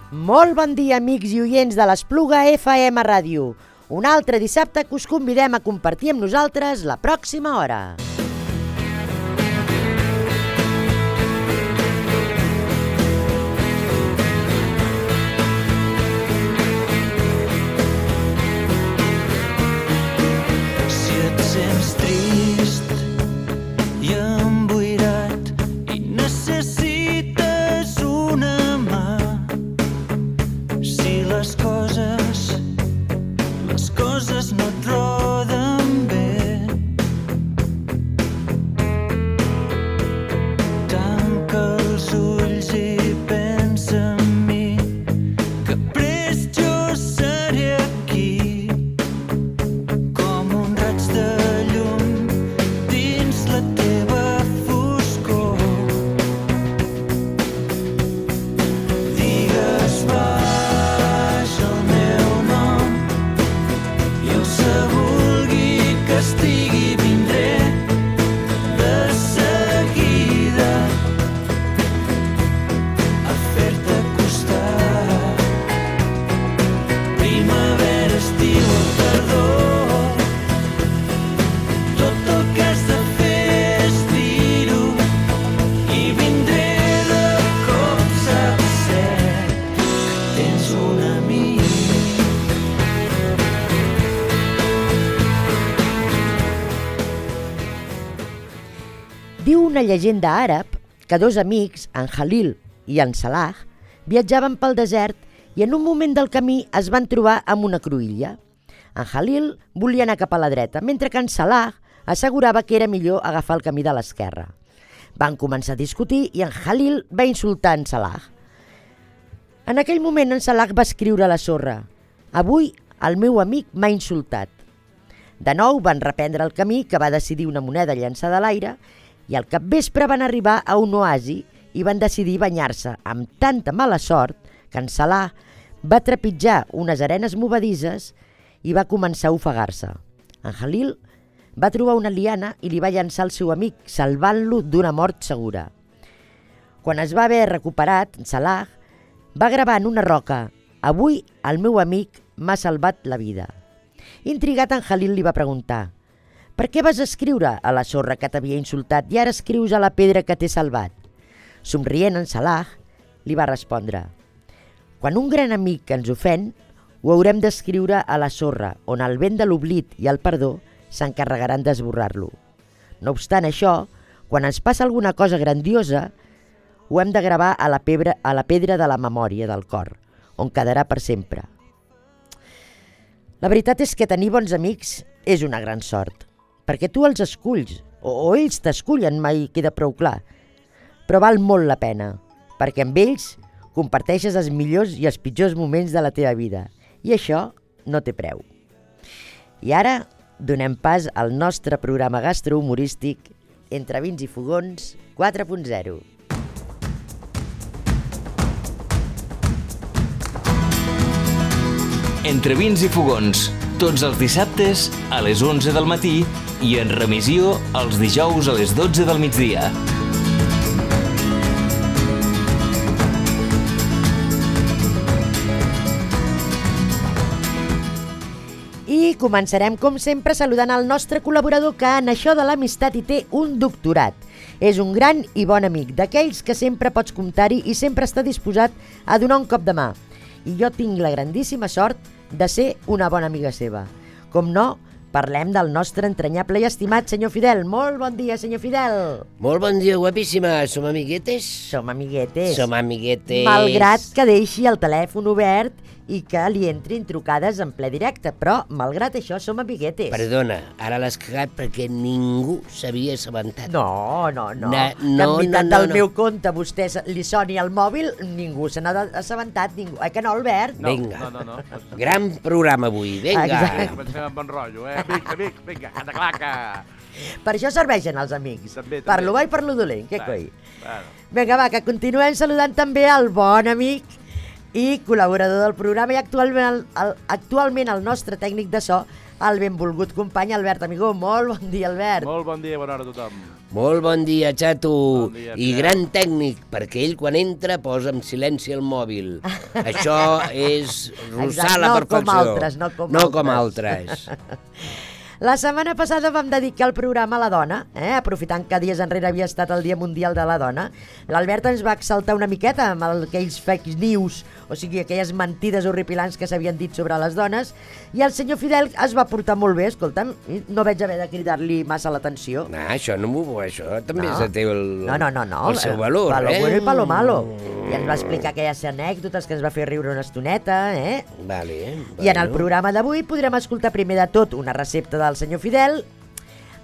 Molt bon dia, amics i oients de l'Espluga FM Ràdio. Un altre dissabte que us convidem a compartir amb nosaltres la pròxima hora. Si et sents trist i emboirat i necessites una mà, si les coses no et roden bé, tanca els ulls i pensa en mi, que prest jo seré aquí, com un raig de llum dins la teva foscor. Digues baix el meu nom i el que vulgui que estigui vindré de seguida a fer-te costat. Primavera, estiu o tardor, tot el que has de fer és dir-ho i vindré de cop, saps ser que tens un amic. Diu una llegenda àrab que dos amics, en Halil i en Salah, viatjaven pel desert i en un moment del camí es van trobar amb una cruïlla. En Halil volia anar cap a la dreta, mentre que en Salah assegurava que era millor agafar el camí de l'esquerra. Van començar a discutir i en Halil va insultar en Salah. En aquell moment en Salah va escriure a la sorra: «Avui el meu amic m'ha insultat». De nou van reprendre el camí, que va decidir una moneda llançada a l'aire, i al capvespre van arribar a un oasi i van decidir banyar-se amb tanta mala sort que en Salah va trepitjar unes arenes movedisses i va començar a ofegar-se. En Halil va trobar una liana i li va llançar al seu amic, salvant-lo d'una mort segura. Quan es va haver recuperat, en Salah va gravar en una roca: «Avui el meu amic m'ha salvat la vida». Intrigat, en Halil li va preguntar: «Per què vas escriure a la sorra que t'havia insultat i ara escrius a la pedra que t'he salvat?» Somrient, en Salah li va respondre: «Quan un gran amic ens ofèn, ho haurem d'escriure a la sorra, on el vent de l'oblit i el perdó s'encarregaran d'esborrar-lo. No obstant això, quan ens passa alguna cosa grandiosa, ho hem de gravar a la pedra de la memòria del cor, on quedarà per sempre». La veritat és que tenir bons amics és una gran sort, perquè tu els esculls, o ells t'escullen, mai queda prou clar. Però val molt la pena, perquè amb ells comparteixes els millors i els pitjors moments de la teva vida, i això no té preu. I ara donem pas al nostre programa gastrohumorístic Entre vins i fogons 4.0. Entre vins i fogons, tots els dissabtes a les 11 del matí i en remissió els dijous a les 12 del migdia. I començarem, com sempre, saludant el nostre col·laborador que en això de l'amistat hi té un doctorat. És un gran i bon amic, d'aquells que sempre pots comptar-hi i sempre està disposat a donar un cop de mà. I jo tinc la grandíssima sort de ser una bona amiga seva. Com no, parlem del nostre entranyable i estimat senyor Fidel. Molt bon dia, senyor Fidel. Molt bon dia, guapíssima. Som amiguetes? Som amiguetes. Som amiguetes. Malgrat que deixi el telèfon obert i que li entrin trucades en ple directe, però malgrat això som amiguetes. Perdona, ara l'has cagat perquè ningú s'havia assabentat. No. Del meu compte vostè li soni al mòbil, ningú se n'ha assabentat, ningú. Que no, Albert? Vinga. No. Gran programa avui, vinga. Exacte. Comencem amb bon rotllo, Vinga, canta claca. Per això serveixen els amics. També. Per lo bo i per lo dolent, què coi? Bueno. Vinga, va, que continuem saludant també el bon amic i col·laborador del programa i actualment el nostre tècnic de so, el benvolgut company Albert Amigó. Molt bon dia, Albert. Molt bon dia, bona hora a tothom. Molt bon dia, xato. Bon dia, I Pere. gran tècnic, perquè ell quan entra posa en silenci el mòbil. Això és rossar Exacte, la no perfecció. com altres, no com altres. La setmana passada vam dedicar el programa a la dona, aprofitant que dies enrere havia estat el Dia Mundial de la Dona. L'Albert ens va exaltar una miqueta amb aquells fake news, o sigui, aquelles mentides horripilants que s'havien dit sobre les dones, i el senyor Fidel es va portar molt bé, escolta'm, no vaig haver de cridar-li massa l'atenció. No, això no m'ho... Això també té el seu Palo valor, bueno i palo malo. I ens va explicar aquelles anècdotes que ens va fer riure una estoneta, Vale. I en el programa d'avui podrem escoltar primer de tot una recepta del senyor Fidel.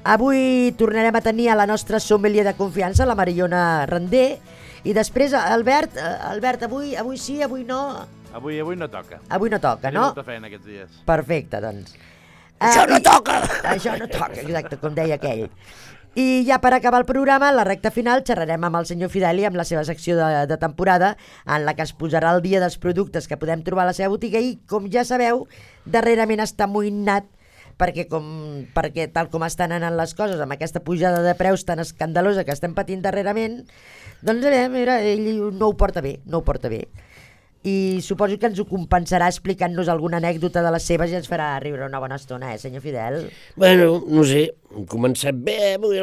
Avui tornarem a tenir a la nostra sommelier de confiança, la Mariona Render, i després, Albert, avui sí, avui no... Avui no toca. Avui no toca, Tenim no? molta feina aquests dies. Perfecte, doncs. Això no toca! Això no toca, exacte, com deia aquell. I ja per acabar el programa, a la recta final, xerrarem amb el senyor Fideli amb la seva secció de temporada, en la que es posarà al dia dels productes que podem trobar a la seva botiga i, com ja sabeu, darrerament està amoïnat perquè tal com estan anant les coses, amb aquesta pujada de preus tan escandalosa que estem patint darrerament, doncs mira, ell no ho porta bé, I suposo que ens ho compensarà explicant-nos alguna anècdota de les seves i ens farà riure una bona estona, senyor Fidel? Bueno, no sé, hem començat bé avui.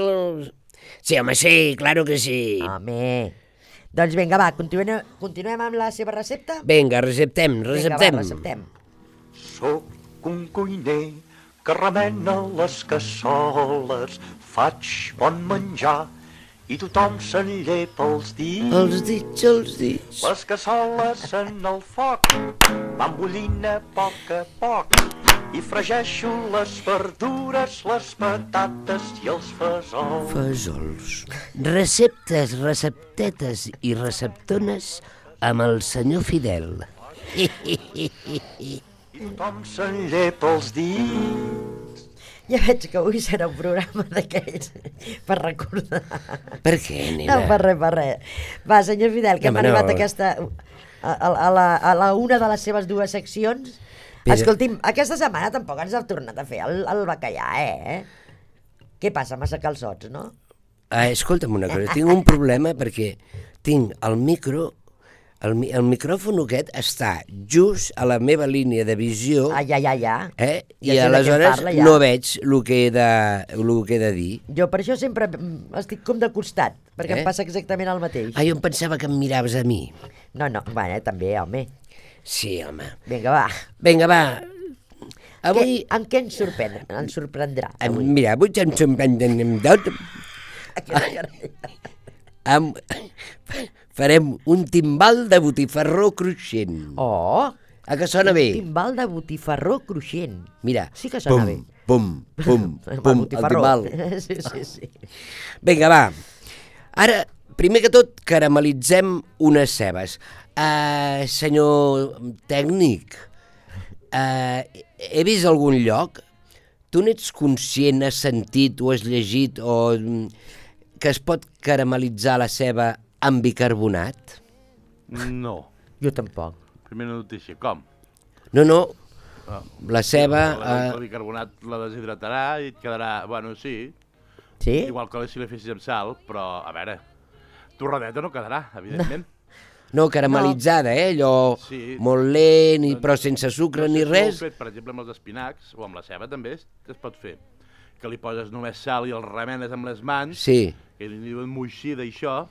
Sí, home, sí, claro que sí. Home, doncs vinga, va, continuem amb la seva recepta? Vinga, receptem. Vinga, va, receptem. Sóc un cuiner que remena les cassoles, faig bon menjar i tothom se'n llepa els dits. Els dits. Les cassoles en el foc van bullint a poc i fregeixo les verdures, les patates i els fesols. Fesols. Receptes, receptetes i receptones amb el senyor Fidel. I tothom se'n llepa els dits. Ja veig que avui serà un programa d'aquells per recordar. Per què, nena? No, per res. Va, senyor Fidel, que hem arribat a la una de les seves dues seccions. Però... Escolti'm, aquesta setmana tampoc ens ha tornat a fer el bacallà, Què passa, massa calçots, no? Escolta'm una cosa, tinc un problema perquè tinc el micròfon aquest està just a la meva línia de visió. Ja. I aleshores no veig el que he de dir. Jo per això sempre estic com de costat, perquè em passa exactament el mateix. Jo em pensava que em miraves a mi. No, també, home. Sí, home. Vinga, va. Avui... Amb què ens sorprendrà? Mira, avui ens sorprendrem tot. Farem un timbal de botifarró cruixent. Oh! A que sona bé? Un timbal de botifarró cruixent. Mira. Sí que sona bé. Pum, el timbal. Sí. Vinga, va. Ara, primer que tot, caramelitzem unes cebes. Senyor tècnic, he vist algun lloc? Tu n'ets conscient, has sentit o has llegit que es pot caramelitzar la ceba amb bicarbonat? No. Jo tampoc. Primera notícia, com? No. La ceba... El bicarbonat la deshidratarà i et quedarà... Bueno, sí. Sí? Igual que si la fessis amb sal, però, a veure, torradeta no quedarà, evidentment. No, caramelitzada, allò molt lent, però sense sucre ni res. Fet, per exemple, amb els espinacs, o amb la ceba també es pot fer. Que li poses només sal i el remenes amb les mans, que li diuen moixida i això,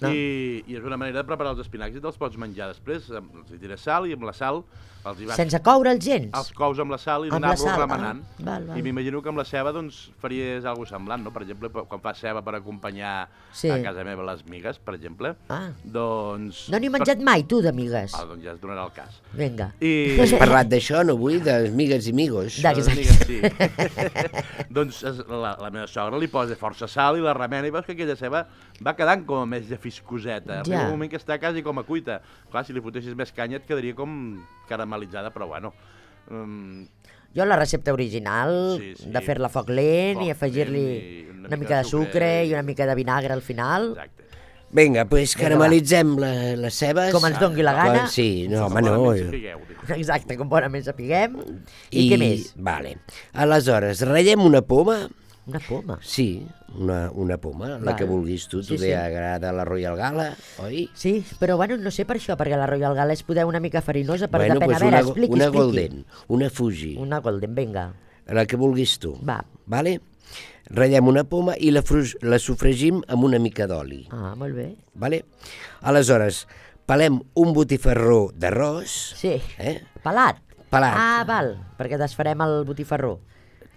i és una manera de preparar els espinacs i te'ls pots menjar després. Els hi tires sal i amb la sal els hi vas... Sense coure'ls gens? Els cous amb la sal i anar-los remenant. Val. I m'imagino que amb la ceba doncs faries alguna cosa semblant, no? Per exemple, quan fas ceba per acompanyar a casa meva les migues, per exemple, doncs... No n'he menjat mai, tu, de migues. Doncs ja es donarà el cas. Vinga. Has parlat d'això, no vull? De migues i migos. Exacte. Sí. Doncs la meva sogra li posa força sal i la remena i veus que aquella ceba va quedant com a més llegifoscoseta. Arriba un moment que està quasi com a cuita. Clar, si li fotessis més canya et quedaria com caramelitzada, però bueno... Jo la recepta original, de fer-la a foc lent i afegir-li una mica de sucre i una mica de vinagre al final. Exacte. Vinga, doncs caramelitzem les cebes. Com ens dongui la gana. Sí, no, home, no. Exacte, com bonament sapiguem. I què més? Vale. Aleshores, ratllem una poma. Una poma? Sí, una poma, la que vulguis tu. Tu t'agrada la Royal Gala, oi? Sí, però bueno, no sé per això, perquè la Royal Gala és poder una mica farinosa, però bueno, depèn. Pues a veure, expliqui. Una Golden, una Fuji. Una Golden, vinga. La que vulguis tu. Va. Vale? Ratllem una poma i la sofregim amb una mica d'oli. Ah, molt bé. Vale? Aleshores, pelem un botifarró d'arròs. Sí, pelat. Pelat. Ah, val, perquè desfarem el botifarró.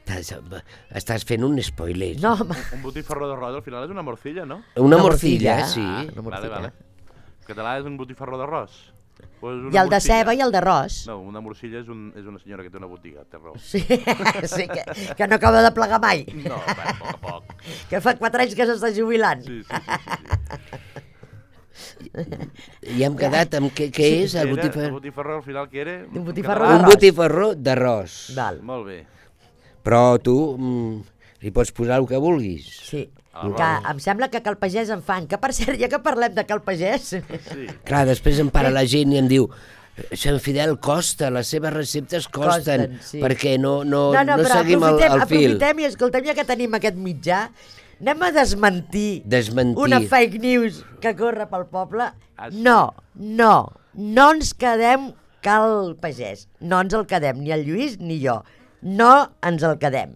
Estàs fent un spoiler. No, un botifarró d'arròs al final és una morcilla, no? Una morcilla, sí. Vale. En català és un botifarró d'arròs. I el de ceba i el d'arròs. No, una morcilla és una senyora que té una botiga, té raó. Sí, que no acaba de plegar mai. No, a poc. Que fa 4 anys que s'està jubilant. Sí. I hem quedat amb què és el botifarró? El botifarró al final què era? Un botifarró d'arròs. Un botifarró d'arròs. Val. Molt bé. Però tu hi pots posar el que vulguis. Sí, que em sembla que Cal Pagès en fan. Que per cert, ja que parlem de Cal Pagès... Sí. Clar, després em para la gent i em diu Sant Fidel costa, les seves receptes costen, sí. Perquè no seguim el fil. Aprofitem i escoltem, ja que tenim aquest mitjà, anem a desmentir una fake news que corre pel poble. No ens quedem Cal Pagès. No ens el quedem, ni el Lluís ni jo. No ens el quedem.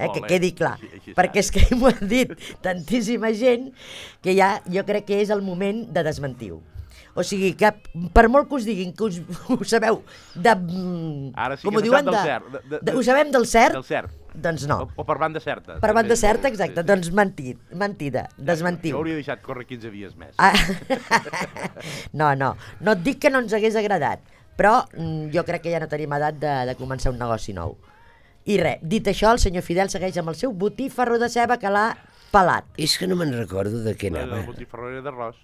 Que quedi clar. Perquè és que m'ho ha dit tantíssima gent que ja jo crec que és el moment de desmentir-ho. O sigui, que per molt que us diguin que ho sabeu de... Ara sí que sap del cert. Ho sabem del cert? Del cert. Doncs no. O per banda certa. Per banda certa, exacte. Doncs mentida, desmentiu. Jo hauria deixat córrer 15 dies més. No et dic que no ens hagués agradat, però jo crec que ja no tenim edat de començar un negoci nou. I res, dit això, el senyor Fidel segueix amb el seu botifarró de ceba que l'ha pelat. És que no me'n recordo de què anava. El botifarró era d'arròs.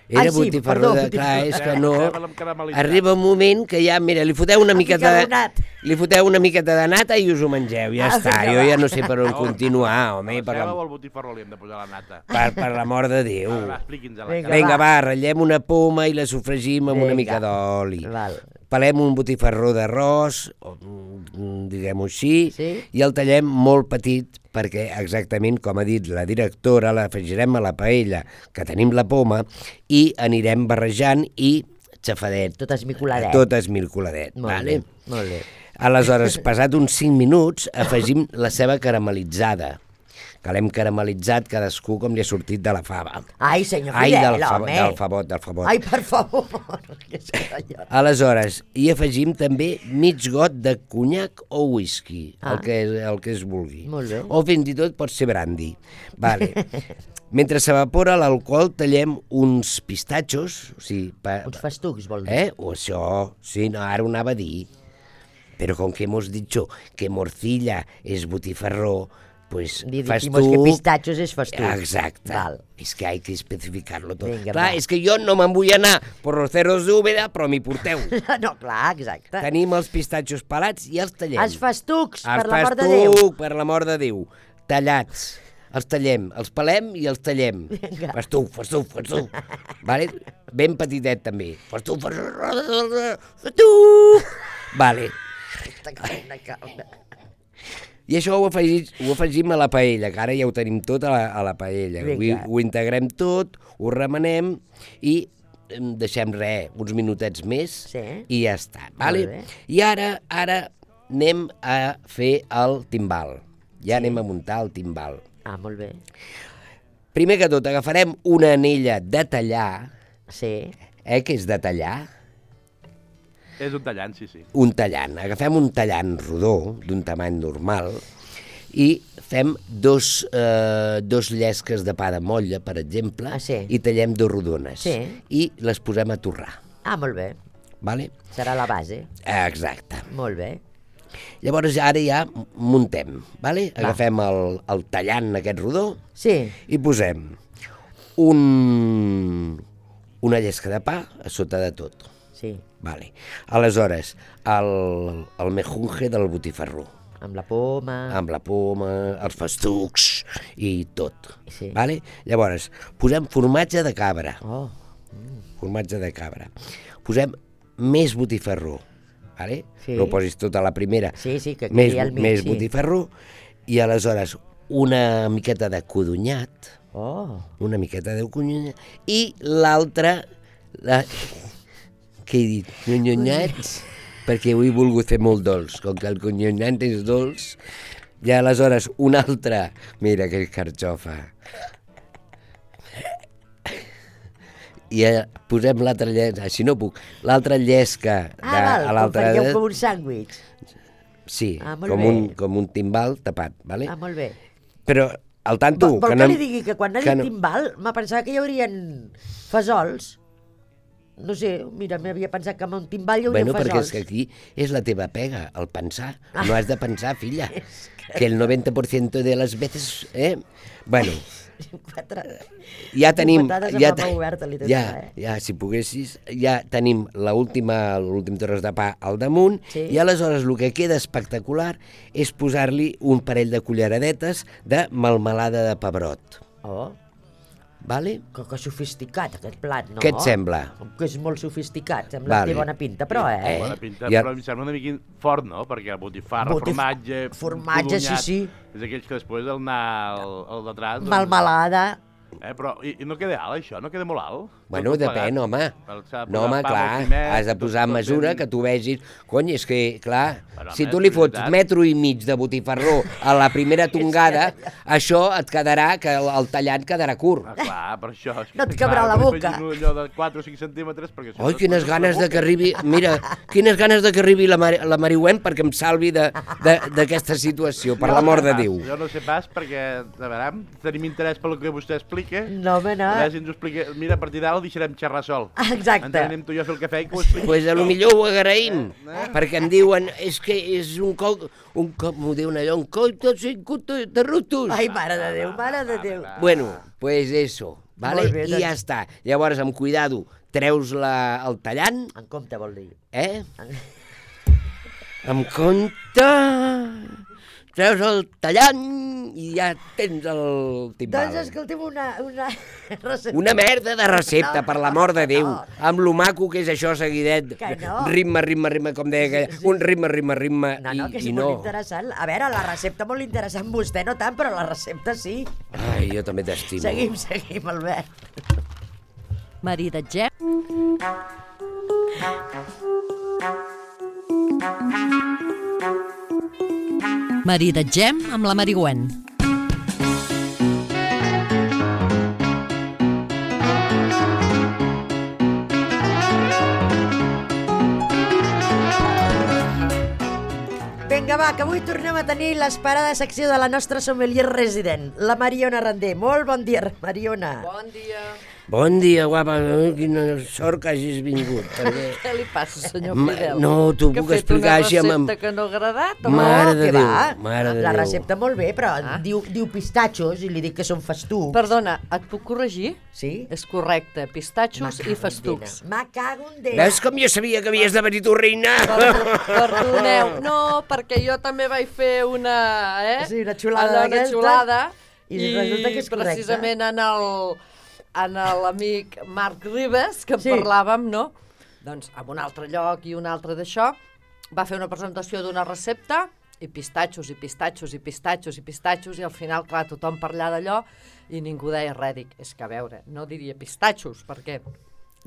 Era botifarró de... Clar, és que no... Arriba un moment que ja, mira, li foteu una miqueta de nata i us ho mengeu, ja està. Jo ja no sé per on continuar, home. Per la ceba o al botifarró li hem de posar la nata? Per l'amor de Déu. Expliqui'ns-la. Vinga, va, ratllem una poma i la sofregim amb una mica d'oli. Pelem un botifarró d'arròs, diguem-ho així, i el tallem molt petit, perquè exactament com ha dit la directora, l'afegirem a la paella, que tenim la poma, i anirem barrejant i xafadet. Tot esmicoladet. Tot esmicoladet. Molt bé. Aleshores, passat uns 5 minuts, afegim la ceba caramelitzada, que l'hem caramelitzat cadascú com li ha sortit de la fava. Ai, senyor Fidel, home. Del favot. Ai, per favor. Aleshores, hi afegim també mig got de conyac o whisky, el que es vulgui. Molt bé. O fins i tot pot ser brandy. Vale. Mentre s'evapora l'alcohol, tallem uns pistatxos. Uns festucs, vol dir. O això, sí, no, ara ho anava a dir. Però com que hemos dicho que morcilla és botifarró, pues dijimos que pistachos és festuc. Exacte. Val. És que hay que especificar-lo tot. Clar, és que jo no me'n vull anar por los cerros d'Úbeda, però m'hi porteu. No, clar, exacte. Tenim els pistatxos pelats i els tallem. Els festucs, per l'amor de Déu. Per l'amor de Déu. Tallats. Els tallem, els pelem i els tallem. Festuc. Vale? Ben petitet, també. Festuc. Vale. I això ho afegim a la paella, que ara ja ho tenim tot a la paella. Ho integrem tot, ho remenem i deixem uns minutets més i ja està. Vale? I ara anem a fer el timbal. Ja anem a muntar el timbal. Ah, molt bé. Primer que tot, agafarem una anella de tallar. Sí. Què és de tallar? És un tallant, sí. Un tallant. Agafem un tallant rodó, d'un tamany normal, i fem dos llesques de pa de motlla, per exemple, i tallem 2 rodones. I les posem a torrar. Ah, molt bé. Vale? Serà la base. Exacte. Molt bé. Llavors ara ja muntem. Vale? Agafem el tallant aquest rodó i posem una llesca de pa a sota de tot. Sí. Vale. Aleshores, el mejunje del botifarró. Amb la poma, els festucs i tot. Sí. Vale? Llavors, posem formatge de cabra. Formatge de cabra. Posem més botifarró. Vale? No ho posis tot a la primera. Sí, que quedi al mig. Més botifarró. I aleshores una miqueta de codonyat, una miqueta de codonyat, i l'altra, què he dit? Conyonyats, perquè ho he volgut fer molt dolç, com que el conyonyat és dolç, i aleshores una altra, mira que carxofa, i posem l'altra llesca, si no puc, l'altra llesca a l'altra... faríeu com un sàndwich. Sí, com un timbal tapat, vale? Molt bé. Però, al tanto... Vol que li digui que quan ha dit timbal, m'ha pensat que hi haurien fesols. No sé, mira, m'havia pensat que amb un timbal hi hauria fesols. Perquè és que aquí és la teva pega, el pensar. No has de pensar, filla, que el 90% de les veces... Bueno... Ja tenim, si poguessis, ja tenim l'últim tros de pa al damunt, i aleshores el que queda espectacular és posar-li un parell de culleradetes de melmelada de pebrot. Vale? Que sofisticat aquest plat, no? Què et sembla? Que és molt sofisticat, sembla que té bona pinta, però Bona pinta, però em sembla una mica fort, no? Perquè botifarra, formatge, sí. És aquells que després al anar al detrás... Melmelada... Però no queda alt, això? No queda molt alt? Bueno, depèn, home. No, home, clar, has de posar mesura que tu vegis... Cony, és que, clar, si tu li fots 1,5 metres de botifarró a la primera tongada, això et quedarà, que el tallant quedarà curt. Clar, per això... No et cabrà la boca. Allò de 4 o 5 centímetres, perquè... Oi, quines ganes de que arribi... Mira, quines ganes de que arribi la Marihuent perquè em salvi d'aquesta situació, per l'amor de Déu. Jo no sé pas, perquè, a veure, tenim interès pel que vostè explica. No, home, no. A veure si ens ho explica. Mira, a partir d'ara el deixarem xerrar sol. Exacte. Ens anem tu i jo a fer el cafè i que ho expliqui. Pues potser ho agraïm, perquè em diuen, és que és un cop, m'ho diuen allò, un coll tot cincut de rutos. Ai, mare de Déu, mare de Déu. Bueno, pues eso, vale? Bé, i ja està. Llavors, amb cuidado, treus el tallant. En compte, vol dir. Amb compte... Treus el tallant i ja tens el timbal. Doncs escolta'm una recepta. Una merda de recepta, per l'amor de Déu. Amb lo maco que és això seguidet. Ritme, com deia aquella. Un ritme, No, que és molt interessant. A veure, la recepta molt interessant, vostè no tant, però la recepta sí. Ai, jo també t'estimo. Seguim, Albert. Maridatgem. Maridatgem amb la Marihuent. Vinga, va, que avui tornem a tenir l'esperada secció de la nostra sommelier resident, la Mariona Randé. Molt bon dia, Mariona. Bon dia. Bon dia, guapa. Quina sort que hagis vingut. Què li passa, senyor Fidel? No, t'ho puc explicar així amb... Que ha fet una recepta que no ha agradat? Mare de Déu. La recepta molt bé, però diu pistatxos i li dic que són festucs. Perdona, et puc corregir? Sí? És correcte, pistatxos i festucs. Me cago en Déu. Veus com jo sabia que havies de venir tu, reina? Perdoneu. No, perquè jo també vaig fer una... Sí, una xulada d'aquesta. Una xulada. I resulta que és correcte. Precisament en l'amic Marc Ribes, que en parlàvem, no? Doncs en un altre lloc i un altre d'això, va fer una presentació d'una recepta, i pistatxos, i al final, clar, tothom parlava d'allò, i ningú deia res. Dic, és que a veure, no diria pistatxos, perquè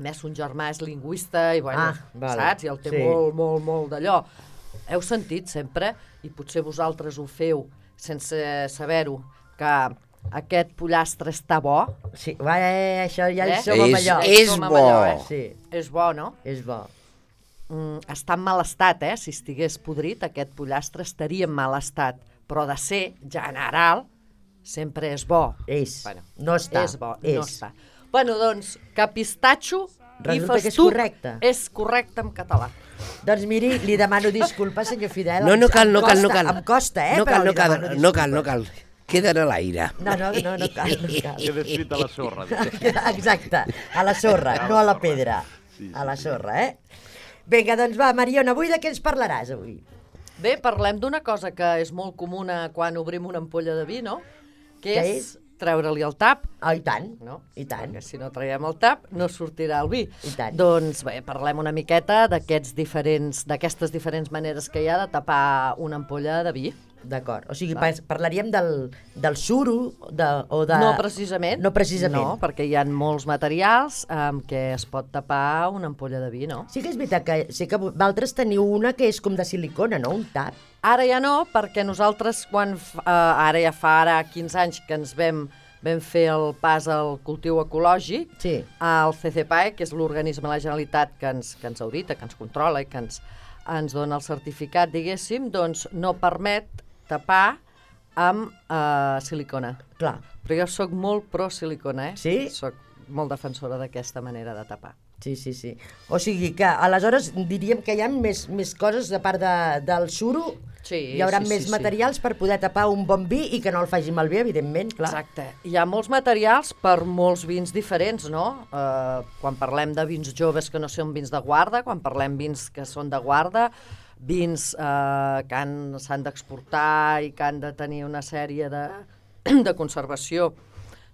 més un germà és lingüista, i bueno, saps? I el té molt d'allò. Heu sentit sempre, i potser vosaltres ho feu sense saber-ho, que aquest pollastre està bo. Sí, això ja som amb allò. És bo. Sí. És bo, no? És bo. Està en mal estat, si estigués podrit, aquest pollastre estaria en mal estat. Però de ser general, sempre és bo. No està. És bo, no està. Bueno, doncs, que pistatxo i festuc és correcte en català. Doncs miri, li demano disculpes, senyor Fidel. No cal. Em costa, però li demano disculpes. No cal. Queden a l'aire. No cal. Queda escrit a la sorra. Exacte, a la sorra, no a la pedra. A la sorra, Vinga, doncs va, Mariona, avui de què ens parlaràs, avui? Bé, parlem d'una cosa que és molt comuna quan obrim una ampolla de vi, no? Que és treure-li el tap. I tant, i tant. Perquè si no traiem el tap, no sortirà el vi. I tant. Doncs bé, parlem una miqueta d'aquestes diferents maneres que hi ha de tapar una ampolla de vi. D'acord, o sigui, parlaríem del suro o de... No, precisament. No, precisament. No, perquè hi ha molts materials amb què es pot tapar una ampolla de vi, no? Sí que és veritat que sé que vosaltres teniu una que és com de silicona, no? Un tap. Ara ja no, perquè nosaltres, ara ja fa 15 anys que ens vam fer el pas al cultiu ecològic, el CCPAE, que és l'organisme de la Generalitat que ens audita, que ens controla i que ens dona el certificat, diguéssim, doncs no permet tapar amb silicona. Clar. Però jo sóc molt pro silicona, Sí? Soc molt defensora d'aquesta manera de tapar. Sí. O sigui que aleshores diríem que hi ha més coses a part del suro. Hi haurà més materials per poder tapar un bon vi i que no el faci malbé, evidentment, clar. Exacte. Hi ha molts materials per molts vins diferents, no? Quan parlem de vins joves que no són vins de guarda, quan parlem vins que són de guarda, vins que s'han d'exportar i que han de tenir una sèrie de conservació,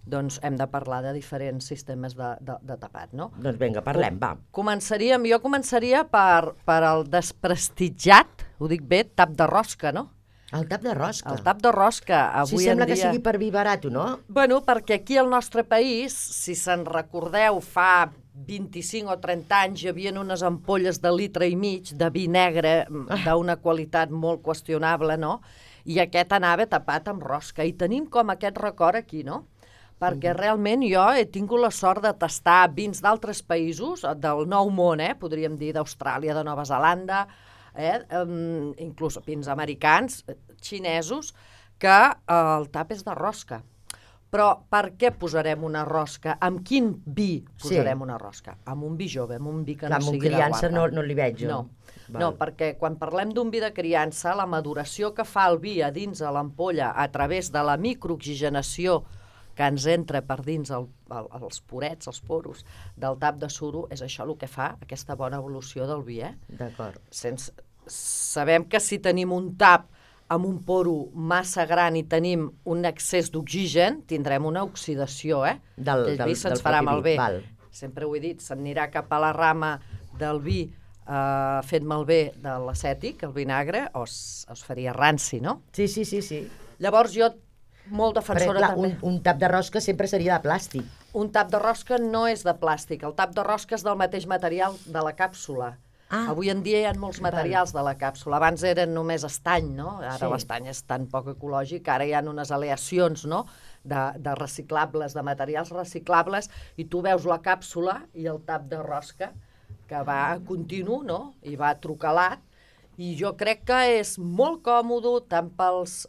doncs hem de parlar de diferents sistemes de tapat, no? Doncs vinga, parlem, va. Jo començaria per el desprestigiat, ho dic bé, tap de rosca, no? El tap de rosca? El tap de rosca, avui en dia... Sí, sembla que sigui per vi barat, no? Bueno, perquè aquí al nostre país, si se'n recordeu, fa 25 o 30 anys hi havia unes ampolles de litre i mig de vi negre d'una qualitat molt qüestionable, no? I aquest anava tapat amb rosca. I tenim com aquest record aquí, no? Perquè realment jo he tingut la sort de tastar vins d'altres països, del Nou Món, podríem dir d'Austràlia, de Nova Zelanda, inclús vins americans, xinesos, que el tap és de rosca. Però per què posarem una rosca? Amb quin vi posarem una rosca? Amb un vi jove, amb un vi que no sigui de guarda. Amb un criança no li veig jo. No, perquè quan parlem d'un vi de criança, la maduració que fa el vi a dins de l'ampolla a través de la microoxigenació que ens entra per dins els porets, els poros del tap de suro, és això el que fa aquesta bona evolució del vi. D'acord. Sabem que si tenim un tap amb un poro massa gran i tenim un excés d'oxigen, tindrem una oxidació, el vi se'ns farà malbé. Sempre ho he dit, s'anirà cap a la rama del vi fet malbé de l'acètic, el vinagre, o es faria ranci, no? Sí. Llavors jo, molt defensora també... Un tap de rosca sempre seria de plàstic. Un tap de rosca no és de plàstic, el tap de rosca és del mateix material de la càpsula. Avui en dia hi ha molts materials de la càpsula. Abans eren només estany, no? Ara l'estany és tan poc ecològic, ara hi ha unes aleacions, no?, de reciclables, de materials reciclables, i tu veus la càpsula i el tap de rosca que va continu, no?, i va trucalat, i jo crec que és molt còmode tant pels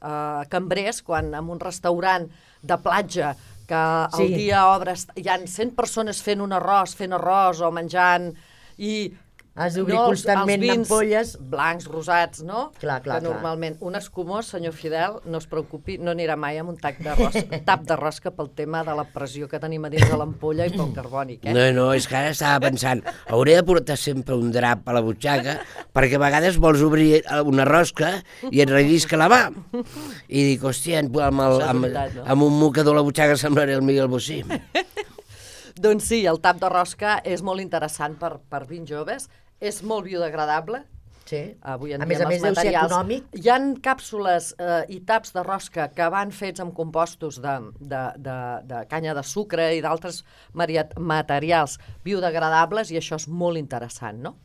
cambrers, quan en un restaurant de platja que el dia obres, hi ha 100 persones fent arròs o menjant, i has d'obrir constantment ampolles blancs, rosats, no? Clar. Normalment un escumós, senyor Fidel, no es preocupi, no anirà mai amb un tap de rosca pel tema de la pressió que tenim a dins de l'ampolla i pel carbònic, No, és que ara estava pensant, hauré de portar sempre un drap a la butxaca perquè a vegades vols obrir una rosca i et rellisca la mà. I dic, hòstia, amb un mocador a la butxaca semblaré el Miguel Bosé. Doncs sí, el tap de rosca és molt interessant per vins joves, és molt biodegradable. Sí. Avui en a més, deu ser econòmic. Hi ha càpsules i taps de rosca que van fets amb compostos de canya de sucre i d'altres materials biodegradables, i això és molt interessant, no?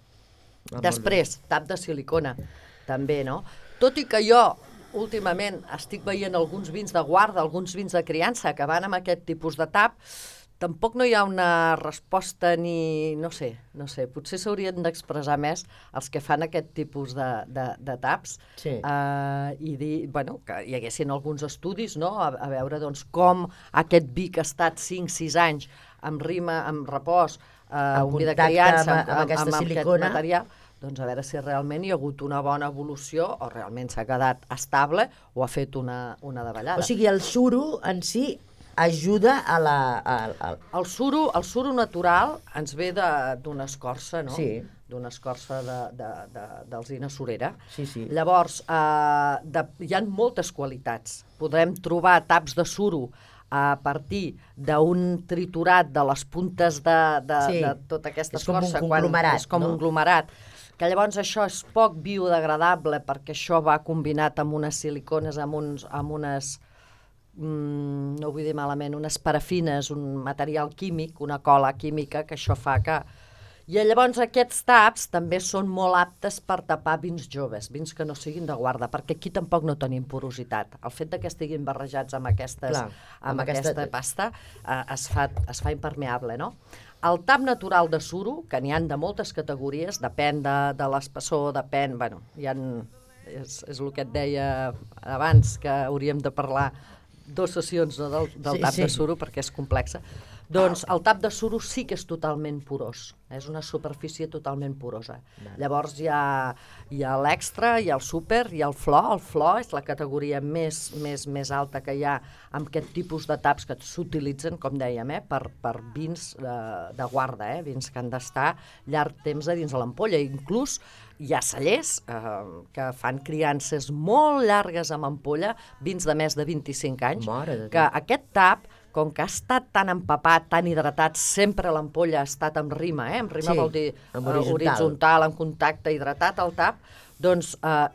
Després, tap de silicona, també, no? Tot i que jo últimament estic veient alguns vins de guarda, alguns vins de criança que van amb aquest tipus de tap, tampoc no hi ha una resposta ni... no sé, potser s'haurien d'expressar més els que fan aquest tipus de taps i dir, bueno, que hi haguessin alguns estudis, no?, a veure doncs com aquest vi que ha estat 5-6 anys amb rima, amb repòs, un vi de criança, amb aquest material, doncs a veure si realment hi ha hagut una bona evolució o realment s'ha quedat estable o ha fet una davallada. O sigui, el suro en si ajuda a la... El suro natural ens ve d'una escorça, no? Sí. D'una escorça d'alzina surera. Sí. Llavors, hi ha moltes qualitats. Podem trobar taps de suro a partir d'un triturat de les puntes de tota aquesta escorça. És com un conglomerat, és com un conglomerat, que llavors això és poc biodegradable perquè això va combinat amb unes silicones, amb unes, no ho vull dir malament, unes parafines, un material químic, una cola química, que això fa que... I llavors aquests taps també són molt aptes per tapar vins joves, vins que no siguin de guarda, perquè aquí tampoc no tenim porositat. El fet que estiguin barrejats amb aquesta pasta es fa impermeable, no? El tap natural de suro, que n'hi ha de moltes categories, depèn de l'espessor, depèn... Bueno, és el que et deia abans, que hauríem de parlar 2 sessions del tap de suro, perquè és complexa. Doncs el tap de suro sí que és totalment porós, és una superfície totalment porosa. Llavors hi ha l'extra, hi ha el súper, hi ha el flor. El flor és la categoria més alta que hi ha amb aquest tipus de taps que s'utilitzen, com dèiem, per vins de guarda, vins que han d'estar llarg temps a dins de l'ampolla. Inclús hi ha cellers que fan criances molt llargues amb ampolla, vins de més de 25 anys, que aquest tap, com que ha estat tan empapat, tan hidratat, sempre l'ampolla ha estat amb rima, amb rima vol dir horitzontal, en contacte, hidratat el tap, doncs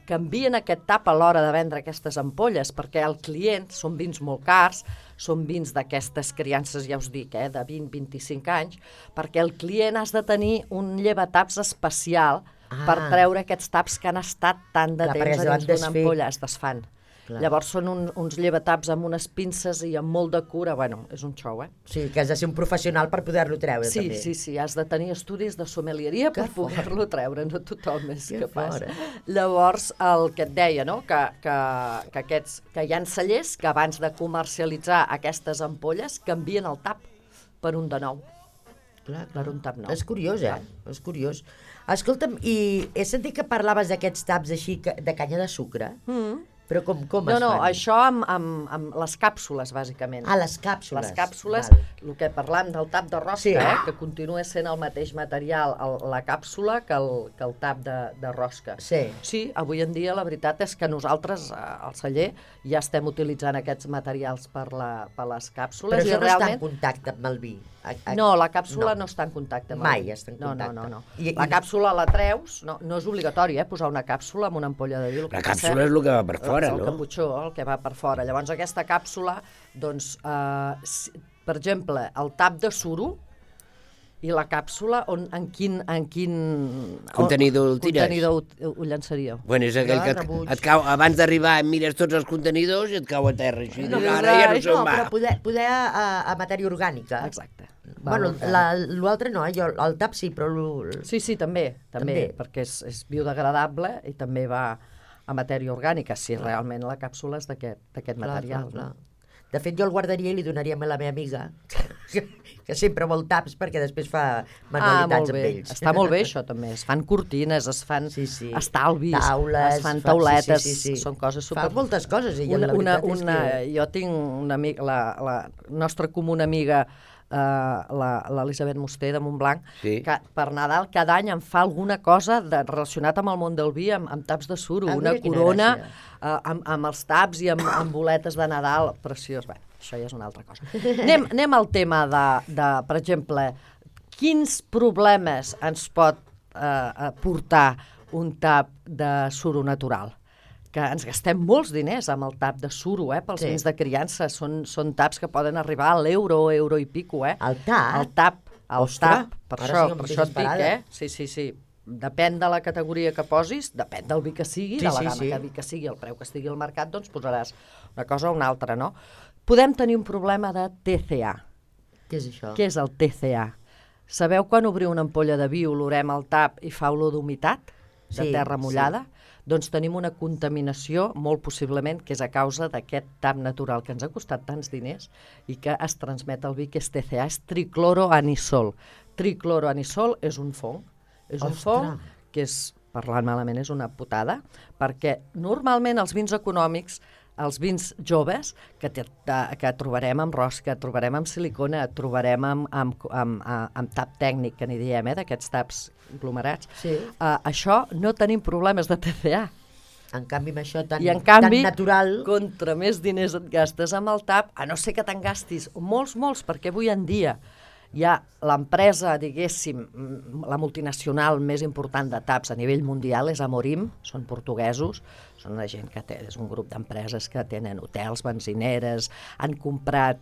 canvien aquest tap a l'hora de vendre aquestes ampolles, perquè el client, són vins molt cars, són vins d'aquestes criances, ja us dic, de 20-25 anys, perquè el client has de tenir un llevataps especial per treure aquests taps que han estat tant de temps a dins d'una ampolla, es desfan. Llavors són uns llevataps amb unes pinces i amb molt de cura, bueno, és un xou, Sí, que has de ser un professional per poder-lo treure, també. Sí, has de tenir estudis de sommelieria per poder-lo treure, no tothom és capaç. Llavors, el que et deia, no?, que hi ha cellers que abans de comercialitzar aquestes ampolles canvien el tap per un de nou. Per un tap nou. És curiós, És curiós. Escolta'm, i he sentit que parlaves d'aquests taps així de canya de sucre. Però com es fan? No, això amb les càpsules, bàsicament. Les càpsules. Les càpsules, el que parlam del tap de rosca, que continua sent el mateix material, la càpsula, que el tap de rosca. Sí, avui en dia la veritat és que nosaltres, al celler, ja estem utilitzant aquests materials per les càpsules. Però això no està en contacte amb el vi? No, la càpsula no està en contacte amb el vi. Mai està en contacte. No. La càpsula la treus, no és obligatori, posar una càpsula amb una ampolla de vi. La càpsula és el que va per fora, no? El caputxó, el que va per fora. Llavors aquesta càpsula, doncs, per exemple, el tap de suro i la càpsula, en quin contenidor el tires? Contenidor ho llançaríeu? Bueno, és aquell que et cau, abans d'arribar mires tots els contenidors i et cau a terra. Així, ara ja no se'n va. Però poder a matèria orgànica. Exacte. Bueno, l'altre no, el tap sí, però... Sí, també, perquè és biodegradable i també va a matèria orgànica, si realment la càpsula és d'aquest material. De fet, jo el guardaria i li donaria a la meva amiga, que sempre vol taps perquè després fa manualitats amb ells. Està molt bé això també, es fan cortines, es fan estalvis, taules, es fan tauletes, són coses super... Fa moltes coses, ella, la veritat és que... Jo tinc una amiga, la nostra comuna amiga, l'Elisabet Musté de Montblanc, que per Nadal cada any em fa alguna cosa relacionat amb el món del vi, amb taps de suro, una corona amb els taps i amb boletes de Nadal, preciós. Bé, això ja és una altra cosa. Anem al tema de, per exemple, quins problemes ens pot portar un tap de suro natural? Que ens gastem molts diners amb el tap de suro, pels vins de criança. Són taps que poden arribar a l'euro i pico, El tap? El tap, per això et dic, Sí. Depèn de la categoria que posis, depèn del vi que sigui, de la gamma que vi que sigui, el preu que estigui al mercat, doncs posaràs una cosa o una altra, no? Podem tenir un problema de TCA. Què és això? Què és el TCA? Sabeu quan obriu una ampolla de vi, olorem el tap i fa olor d'humitat, de terra mullada? Doncs tenim una contaminació, molt possiblement, que és a causa d'aquest tap natural que ens ha costat tants diners i que es transmet al vi, que és TCA, és tricloroanisol. Tricloroanisol és un fong. És un fong que és, parlant malament, és una putada, perquè normalment els vins econòmics, els vins joves, que trobarem amb rosca, trobarem amb silicona, trobarem amb tap tècnic, que n'hi diem, d'aquests taps aglomerats, això no tenim problemes de TCA. En canvi, amb això tan I en canvi, natural... contra més diners et gastes amb el tap, a no ser que te'n gastis molts, perquè avui en dia hi ha l'empresa, diguéssim, la multinacional més important de taps a nivell mundial és Amorim, són portuguesos, són una gent que té, és un grup d'empreses que tenen hotels, benzineres, han comprat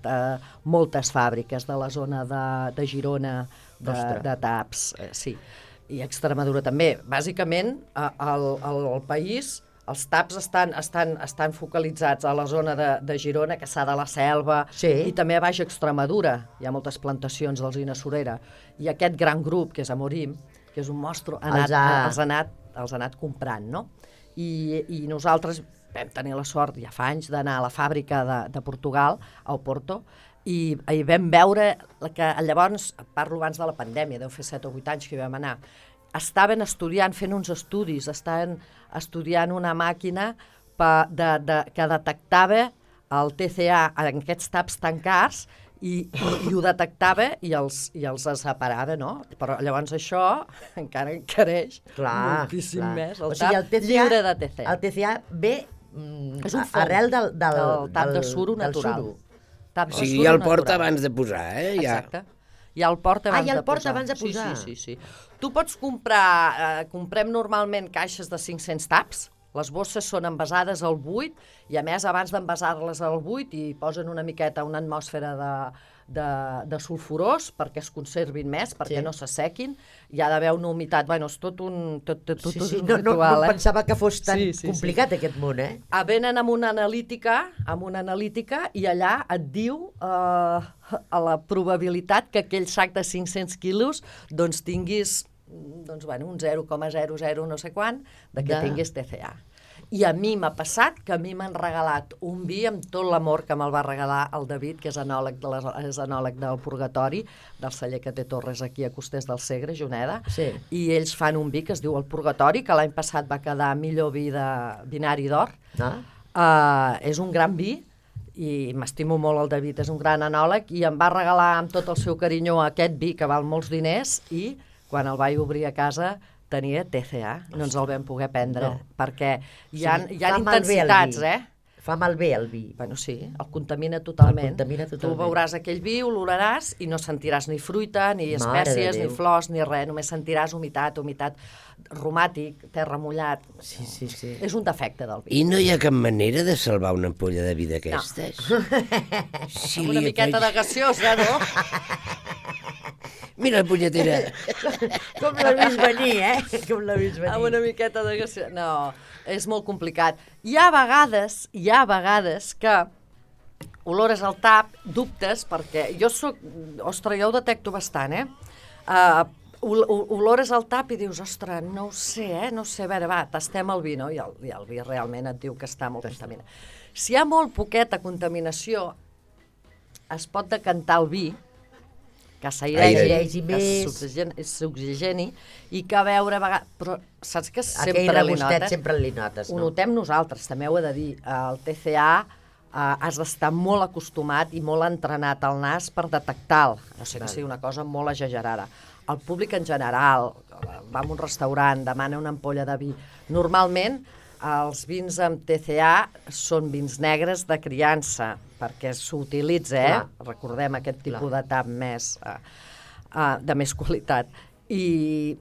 moltes fàbriques de la zona de Girona de taps, sí, i Extremadura també. Bàsicament, al país, els taps estan focalitzats a la zona de Girona, Cassà de la Selva, i també a Baix Extremadura. Hi ha moltes plantacions d'alzina surera. I aquest gran grup, que és Amorim, que és un monstru, els ha anat comprant, no? I nosaltres vam tenir la sort, ja fa anys, d'anar a la fàbrica de Portugal, a Oporto, i vam veure que llavors, parlo abans de la pandèmia, deu fer 7 o 8 anys que hi vam anar, estaven estudiant, fent uns estudis, estaven estudiant una màquina que detectava el TCA en aquests taps tancats i ho detectava i els separava, no? Però llavors això encara encareix moltíssim més. El tap lliure de TCA. El TCA ve arrel del tap de suro natural. O sigui, ja el porta abans de posar, Exacte. Ja el porta abans de posar. Sí. Tu pots comprar, comprem normalment caixes de 500 taps, les bosses són envasades al buit i a més abans d'envasar-les al buit hi posen una miqueta, una atmosfera de sulfurós perquè es conservin més, perquè no s'assequin, hi ha d'haver una humitat, bueno, és tot un ritual. No pensava que fos tan complicat aquest món, Venen amb una analítica i allà et diu a la probabilitat que aquell sac de 500 quilos doncs tinguis un 0,00 no sé quant que tinguis TCA. I a mi m'ha passat que a mi m'han regalat un vi amb tot l'amor que me'l va regalar el David, que és enòleg del Purgatori, del celler que té Torres aquí a Costers del Segre, Juneda, i ells fan un vi que es diu el Purgatori, que l'any passat va quedar millor vi de binari d'or. És un gran vi, i m'estimo molt el David, és un gran enòleg, i em va regalar amb tot el seu carinyo aquest vi que val molts diners, i quan el vaig obrir a casa tenia TCA, no ens el vam poder prendre, perquè hi ha intensitats, Fa malbé el vi. Bueno, sí, el contamina totalment. Tu veuràs aquell vi, oloraràs i no sentiràs ni fruita, ni espècies, ni flors, ni res, només sentiràs humitat aromàtic, terra mullat. Sí. És un defecte del vi. I no hi ha cap manera de salvar una ampolla de vi d'aquestes? Amb una miqueta de gaseosa, no? Mira la punyetera. Com l'ha vist venir, Com l'ha vist venir. Amb una miqueta de gaseosa. No, és molt complicat. Hi ha vegades que olores al tap, dubtes, perquè jo ho detecto bastant, olores al tap i dius, ostres, no ho sé, a veure, va, tastem el vi, no? I el vi realment et diu que està molt contaminat. Si hi ha molt poqueta contaminació, es pot decantar el vi, que s'airegi, que s'oxigeni i que a veure, però saps que sempre li notes? Ho notem nosaltres, també ho he de dir. El TCA has d'estar molt acostumat i molt entrenat al nas per detectar-lo, no sé que sigui una cosa molt exagerada. El públic en general va a un restaurant, demana una ampolla de vi. Normalment els vins amb TCA són vins negres de criança, perquè s'utilitza, recordem aquest tipus de tap de més qualitat. I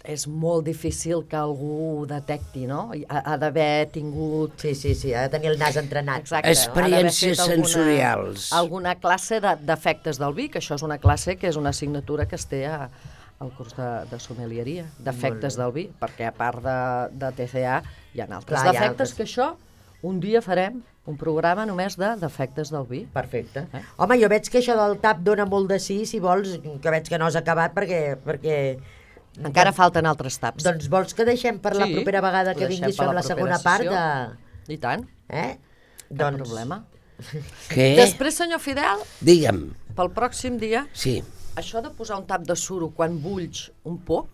és molt difícil que algú ho detecti, no? Ha d'haver tingut... Sí, ha de tenir el nas entrenat. Exacte. Experiències sensorials. Alguna classe d'efectes del vi, que això és una classe que és una assignatura que es té al curs de sommelieria, d'efectes del vi, perquè a part de TCA hi ha altres defectes que això un dia farem un programa només d'efectes del vi. Perfecte. Home, jo veig que això del tap dona molt de sí, si vols, que veig que no has acabat perquè... Encara falten altres taps. Doncs vols que deixem per la propera vegada que vinguis fem la segona part de... I tant. Cap problema. Què? Després, senyor Fidel, digue'm, pel pròxim dia, sí. Això de posar un tap de suro quan bulls un pop,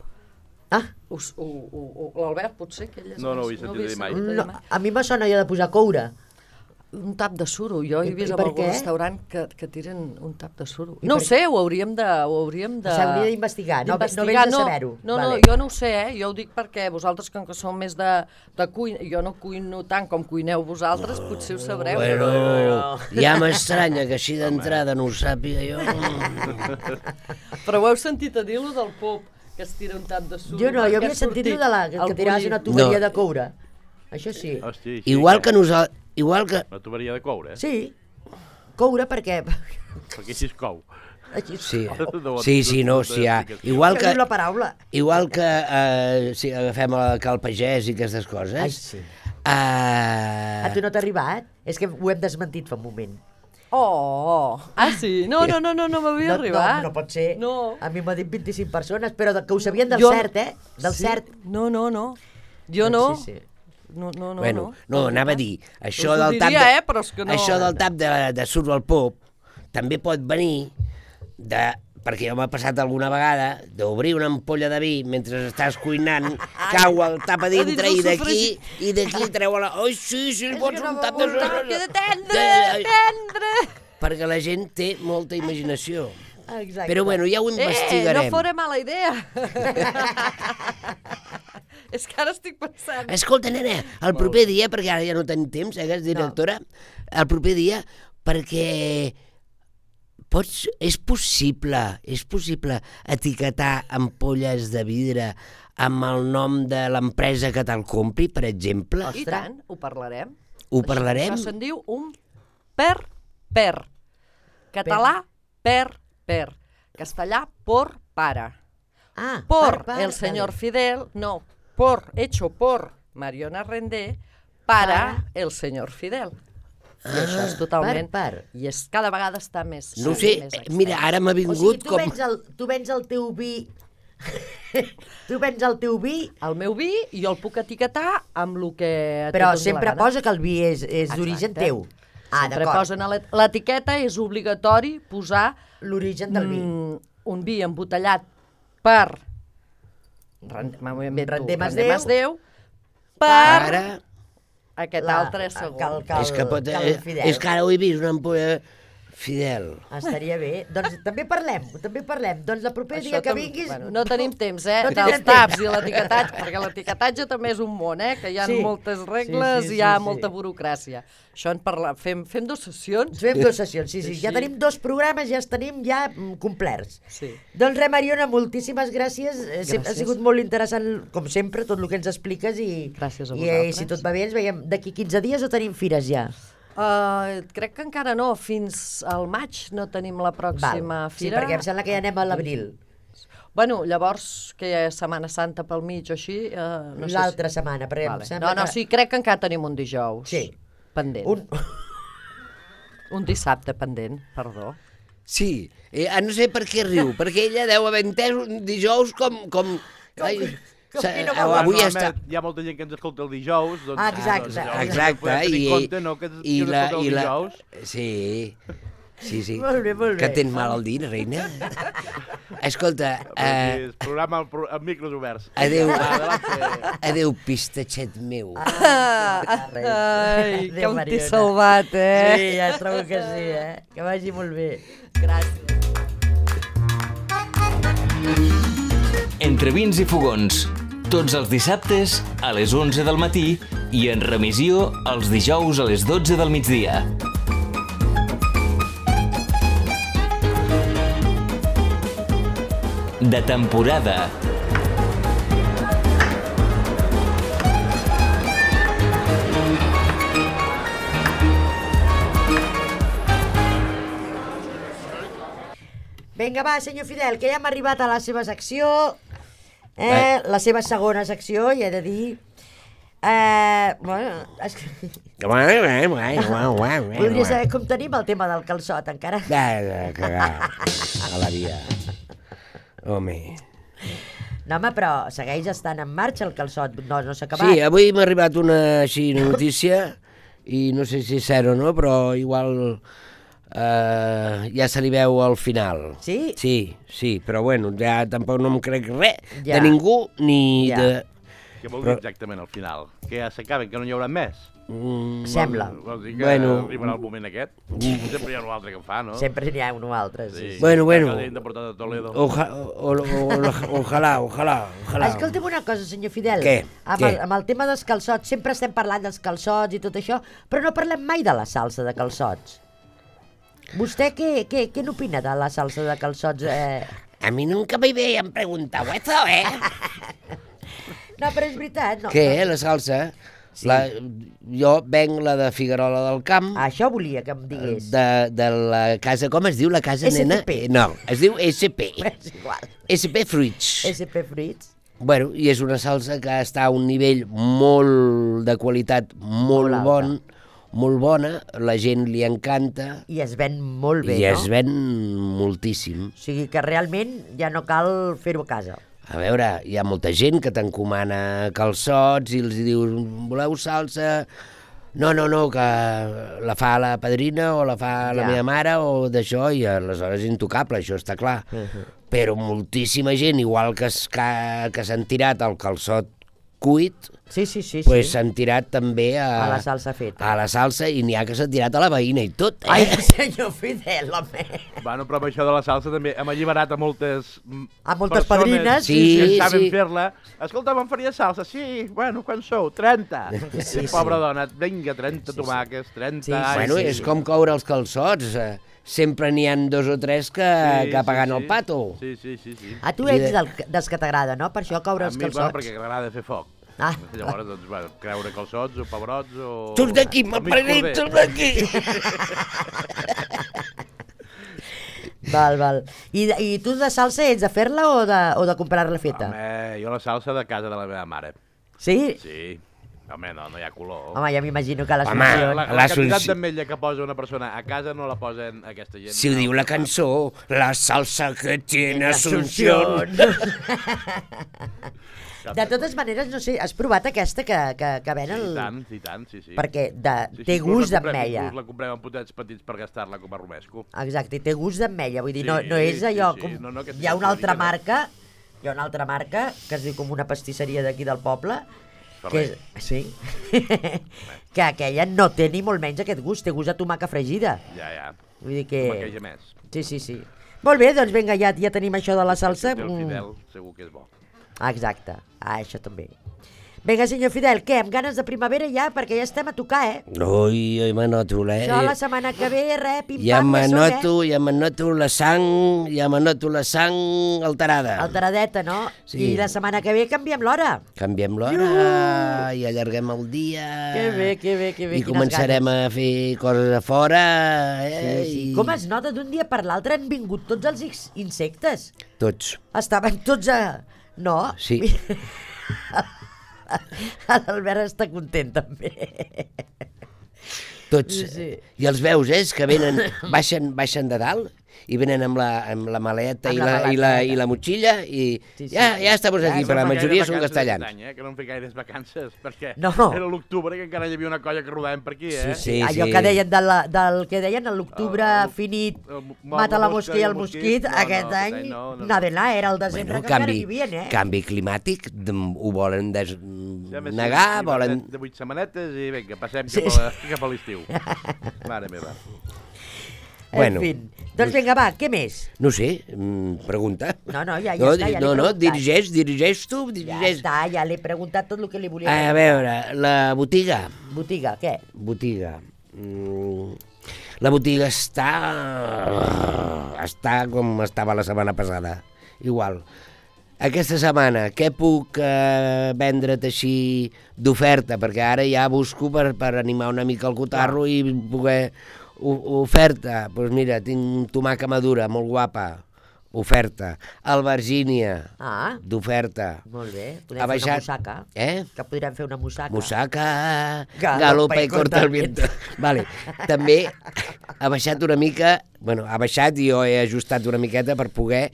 l'Albert potser, que ell és... No ho he sentit dir mai. A mi me sona allò de posar coure. Un tap de suro. Jo he vist en algun restaurant que tiren un tap de suro. No ho sé, ho hauríem de... S'hauria d'investigar, no vens de saber-ho. No, jo no ho sé, jo ho dic perquè vosaltres, com que sou més de cuina, jo no cuino tant com cuineu vosaltres, potser ho sabreu. Bueno, ja m'estranya que així d'entrada no ho sàpiga jo. Però ho heu sentit a dir, lo del pop, que es tira un tap de suro? Jo no, jo havia sentit lo de que tiraves una tuberia de coure. Això sí. Igual que nosaltres... Una tuberia de coure, Sí, coure perquè... Perquè així es cou. Sí, no, sí, ja. Igual que... la paraula. Igual que si agafem el Cal Pagès i aquestes coses... Ai, sí. A tu no t'ha arribat? És que ho hem desmentit fa un moment. Sí? No m'havia arribat. No pot ser. No. A mi m'ha dit 25 persones, però que ho sabien del cert, Del cert. No. Jo no. Sí. No. Anava a dir, això del tap de suro al pop també pot venir perquè jo m'ha passat alguna vegada d'obrir una ampolla de vi mentre estàs cuinant, cau el tap a dintre i d'aquí treu la... Ai, sí, pots un tap de suro. Queda tendre. Perquè la gent té molta imaginació. Exacte. Però bueno, ja ho investigarem. No fora mala idea. És que ara estic pensant... Escolta, nena, el proper dia, perquè ara ja no tenim temps, que és directora, el proper dia, perquè és possible etiquetar ampolles de vidre amb el nom de l'empresa que te'l compri, per exemple? I tant, ho parlarem. Ho parlarem? Això se'n diu un per. Català, per. Castellà, por pare. Por el señor Fidel, no, hecho por Mariona Rendé, para el señor Fidel. I això és totalment... I és cada vegada està més... No ho sé, mira, ara m'ha vingut com... Tu vens el teu vi... Tu vens el teu vi... El meu vi, i jo el puc etiquetar amb el que... Però sempre posa que el vi és d'origen teu. Sempre posen a l'etiqueta, és obligatori posar... L'origen del vi. Un vi embotellat per Rendé Masdeu, per aquest altre segon. És que ara ho he vist, una ampolla Fidel. Estaria bé. Doncs també parlem. Doncs el proper dia que vinguis... No tenim temps, dels taps i l'etiquetatge, perquè l'etiquetatge també és un món, que hi ha moltes regles i hi ha molta burocràcia. Això fem 2 sessions. Fem 2 sessions, sí. Ja tenim 2 programes, ja els tenim ja complerts. Doncs res, Mariona, moltíssimes gràcies. Ha sigut molt interessant, com sempre, tot el que ens expliques i si tot va bé ens veiem d'aquí 15 dies o tenim fires ja? Crec que encara no, fins al maig no tenim la pròxima fira. Sí, perquè em sembla que ja anem a l'abril. Bueno, llavors, que hi ha Setmana Santa pel mig o així... L'altra setmana, perquè em sembla que... Sí, crec que encara tenim un dijous pendent. Un dissabte pendent, perdó. Sí, no sé per què riu, perquè ella deu haver entès un dijous com... Avui hi ha molta gent que ens escolta el dijous. Exacte. I la... Sí. Molt bé. Que tens mal al dit, reina? Escolta... El programa amb micros oberts. Adéu, pistatxet meu. Ai, com t'he salvat, Sí, ja trobo que sí, Que vagi molt bé. Gràcies. Entre vins i fogons, tots els dissabtes a les 11 del matí i en remissió els dijous a les 12 del migdia. De temporada. Vinga, va, senyor Fidel, que ja hem arribat a la seva secció, la seva segona secció, i he de dir... Voldria saber com tenim el tema del calçot, encara. A la via. Home. No, home, però segueix estant en marxa el calçot, no s'ha acabat. Sí, avui m'ha arribat una notícia, i no sé si és cert o no, però igual... ja se li veu al final. Sí? Sí, però bueno, ja tampoc no em crec res de ningú, ni de... Què vol dir exactament al final? Que ja s'acaben, que no n'hi haurà més? Sembla. Vol dir que arribarà el moment aquest? Sempre hi ha un altre que ho fa, no? Sempre n'hi ha un altre, sí. Bueno. Ojalà. Escolta'm una cosa, senyor Fidel. Què? Amb el tema dels calçots, sempre estem parlant dels calçots i tot això, però no parlem mai de la salsa de calçots. ¿Vostè què n'opina de la salsa de calçots? A mi nunca me habían preguntado eso, No, però és veritat. No. Què, la salsa? Sí. Jo venc la de Figuerola del Camp. Això volia que em digués. De la casa, com es diu la casa, nena? No, es diu SP. És igual. SP Fruits. SP Fruits. Bueno, i és una salsa que està a un nivell molt de qualitat, molt bona, la gent li encanta. I es ven molt bé, no? I es ven moltíssim. O sigui que realment ja no cal fer-ho a casa. A veure, hi ha molta gent que t'encomana calçots i els dius, voleu salsa? No, que la fa la padrina o la fa la meva mare o d'això, i aleshores és intocable, això està clar. Però moltíssima gent, igual que s'han tirat el calçot cuit, pues s'han tirat també a la salsa feta. A la salsa, i n'hi ha que s'han tirat a la veïna i tot. Ai, senyor Fidel, home. Bueno, però amb això de la salsa també hem alliberat a moltes padrines que saben fer-la. Escolta, me'n faria salsa? Sí, bueno, quan sou? 30. Pobra dona, vinga, 30 tomàquets, 30... Bueno, és com coure els calçots. Sempre n'hi ha 2 o 3 que pagant el pato. Sí. A tu ets dels que t'agrada, no? Per això coure els calçots. A mi, perquè m'agrada fer foc. Llavors, doncs, bueno, creure calçots o pebrots o... Surts d'aquí, m'ha prenit, surts d'aquí! Val. I tu de salsa ets de fer-la o de comprar-la feta? Home, jo la salsa de casa de la meva mare. Sí? Sí. Home, no hi ha color. Home, ja m'imagino que la quantitat d'ametlla que posa una persona a casa no la posen aquesta gent. Si ho diu la cançó, la salsa que tiene Asunción. De totes maneres, no sé, has provat aquesta que ven el... I tant, sí. Perquè té gust d'ametlla. La comprem en potets petits per gastar-la com a romesco. Exacte, i té gust d'ametlla, vull dir, no és allò com... Hi ha una altra marca que es diu com una pastisseria d'aquí del poble, que aquella no té ni molt menys aquest gust, té gust de tomaca fregida. Ja. Vull dir que... Tomaqueja més. Sí. Molt bé, doncs vinga, ja tenim això de la salsa. El Fidel segur que és bo. Exacte, això també. Vinga, senyor Fidel, què, amb ganes de primavera ja? Perquè ja estem a tocar, Ui, m'anoto, Això la setmana que ve, pim-pam, ja m'anoto la sang alterada. Alteradeta, no? Sí. I la setmana que ve canviem l'hora. Canviem l'hora i allarguem el dia. Que bé. I començarem a fer coses a fora. Sí. Com es nota d'un dia per l'altre han vingut tots els insectes. Tots. Estaven tots a... No? Sí. L'Albert està content també. Tots. Sí. I els veus, que venen, baixen de dalt i venen amb la maleta i la motxilla i ja estem aquí, però la majoria són castellans. Que no em feia gaires vacances, perquè era l'octubre que encara hi havia una colla que rodàvem per aquí, Sí. Allò que deien del que deien l'octubre finit, mata la mosca i el mosquit, aquest any nada de nada, era el desembre que encara vivien, Canvi climàtic, ho volen negar, volen... De 8 setmanetes i vinga, passem cap a l'estiu. Mare meva. En fi, doncs vinga, va, què més? No sé, pregunta. No, ja està, ja l'he preguntat. Dirigeix tu. Ja està, ja l'he preguntat tot el que li volia preguntar. A veure, la botiga. Botiga, què? Botiga. La botiga està com estava la setmana passada, igual. Aquesta setmana, què puc vendre't així d'oferta? Perquè ara ja busco per animar una mica el cotarro i poder... Oferta, doncs mira, tinc tomaca madura, molt guapa, oferta. Albergínia, d'oferta. Molt bé, podem fer una musaca. Que podrem fer una musaca. Musaca, galopa i corta el viento. Vale. També ha baixat una mica, ha baixat i jo he ajustat una miqueta per poder